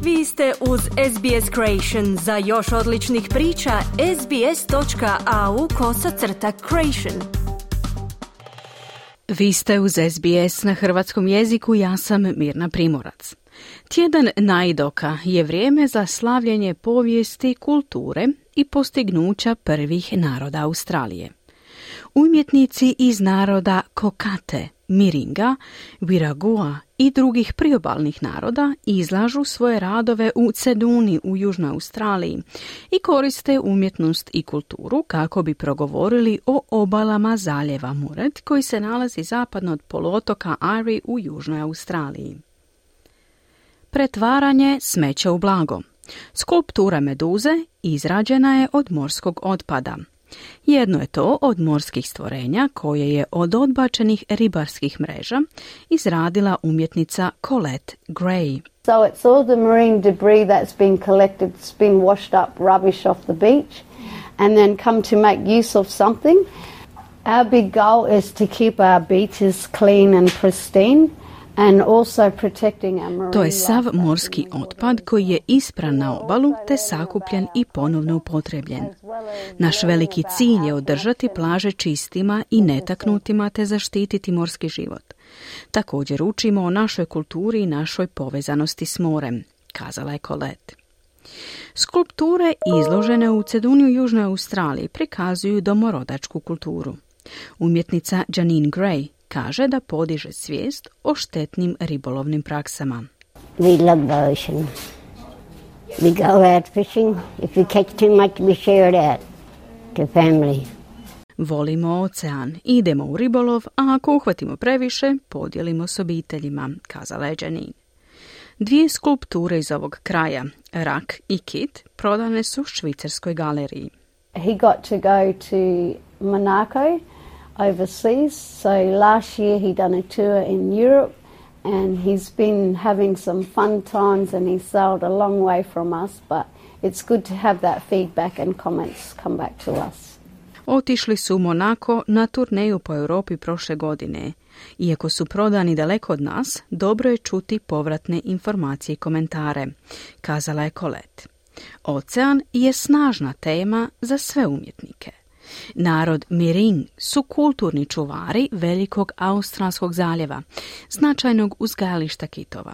Vi ste uz SBS Creation. Za još odličnih priča, sbs.au/creation. Vi ste uz SBS na hrvatskom jeziku, ja sam Mirna Primorac. Tjedan Najdoka je vrijeme za slavljenje povijesti, kulture i postignuća prvih naroda Australije. Umjetnici iz naroda Kokate, Miringa, Wirragua i drugih priobalnih naroda izlažu svoje radove u Ceduni u Južnoj Australiji i koriste umjetnost i kulturu kako bi progovorili o obalama zaljeva Muret koji se nalazi zapadno od poluotoka Airi u Južnoj Australiji. Pretvaranje smeća u blago. Skulptura meduze izrađena je od morskog otpada. Jedno je to od morskih stvorenja koje je od odbačenih ribarskih mreža izradila umjetnica Colette Gray. So it's all the marine debris that's been collected, it's been washed up rubbish off the beach and then come to make use of something. Our big goal is to keep our beaches clean and pristine. And also protecting our marine. To je sav morski otpad koji je ispran na obalu te sakupljen i ponovno upotrebljen. Naš veliki cilj je održati plaže čistima i netaknutima te zaštititi morski život. Također učimo o našoj kulturi i našoj povezanosti s morem, kazala je Colette. Skulpture izložene u Ceduni u Južnoj Australiji prikazuju domorodačku kulturu. Umjetnica Janine Gray kaže da podiže svijest o štetnim ribolovnim praksama. We love the ocean. We go out fishing. If we catch too much, we share it out to family. Volimo ocean, idemo u ribolov, a ako uhvatimo previše, podijelimo s obiteljima, kazala je Janine. Dvije skulpture iz ovog kraja, rak i kit, prodane su švicarskoj galeriji. He got to go to Monaco overseas. So last year he done a tour in Europe and he's been having some fun times and he sailed a long way from us, but it's good to have that feedback and comments come back to us. Otišli su u Monako na turneju po Europi prošle godine. Iako su prodani daleko od nas, dobro je čuti povratne informacije i komentare, kazala je Colette. Ocean je snažna tema za sve umjetnike. Narod Miring su kulturni čuvari velikog Australskog zaljeva, značajnog uzgajališta kitova.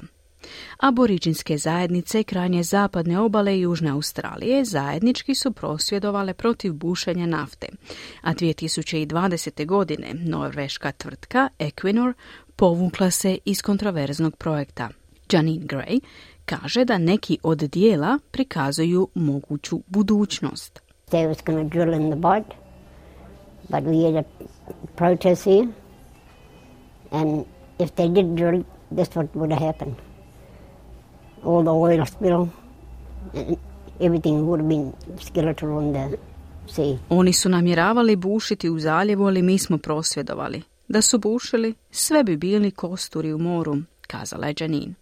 Aboriđinske zajednice krajnje zapadne obale Južne Australije zajednički su prosvjedovale protiv bušenja nafte, a 2020. godine norveška tvrtka Equinor povukla se iz kontroverznog projekta. Janine Gray kaže da neki od dijela prikazuju moguću budućnost. They was going to drill in the bog, but we had a protest here, and if they did drill, that's what would have happened. All the oil spill, and everything would have been skeletal on the sea. Oni su namjeravali bušiti u zaljevu, ali mi smo prosvjedovali. Da su bušili, sve bi bili kosturi u moru, kazala je Janine.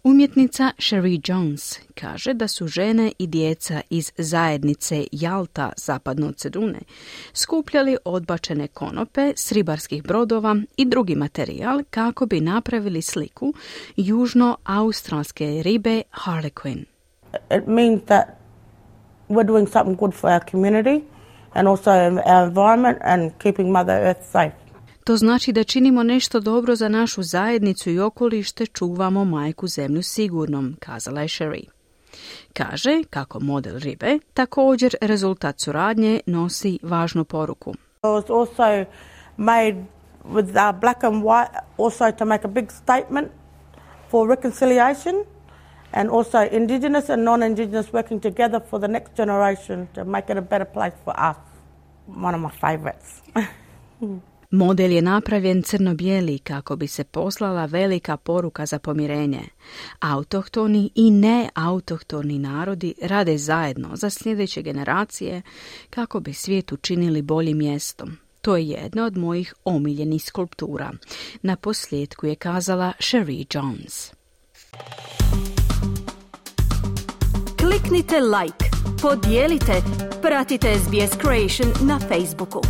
Umjetnica Sherry Jones kaže da su žene i djeca iz zajednice Jalta zapadno od Cedune skupljali odbačene konope s ribarskih brodova i drugi materijal kako bi napravili sliku južno-australske ribe Harlequin. It means that we're doing something good for our community and also our environment and keeping Mother Earth safe. To znači da činimo nešto dobro za našu zajednicu i okoliš te čuvamo majku zemlju sigurnom, kazala je Sherry. Kaže kako model ribe također rezultat suradnje nosi važnu poruku. It was also made with black and white also to make a big statement for reconciliation and also indigenous and non-indigenous working together for the next generation to make it a better place for us. One of my favorites. Model je napravljen crno-bijeli kako bi se poslala velika poruka za pomirenje. Autohtoni i neautohtoni narodi rade zajedno za sljedeće generacije kako bi svijet učinili boljim mjestom. To je jedna od mojih omiljenih skulptura. Na posljedku je kazala Sherry Jones. Kliknite like, podijelite, pratite SBS Creation na Facebooku.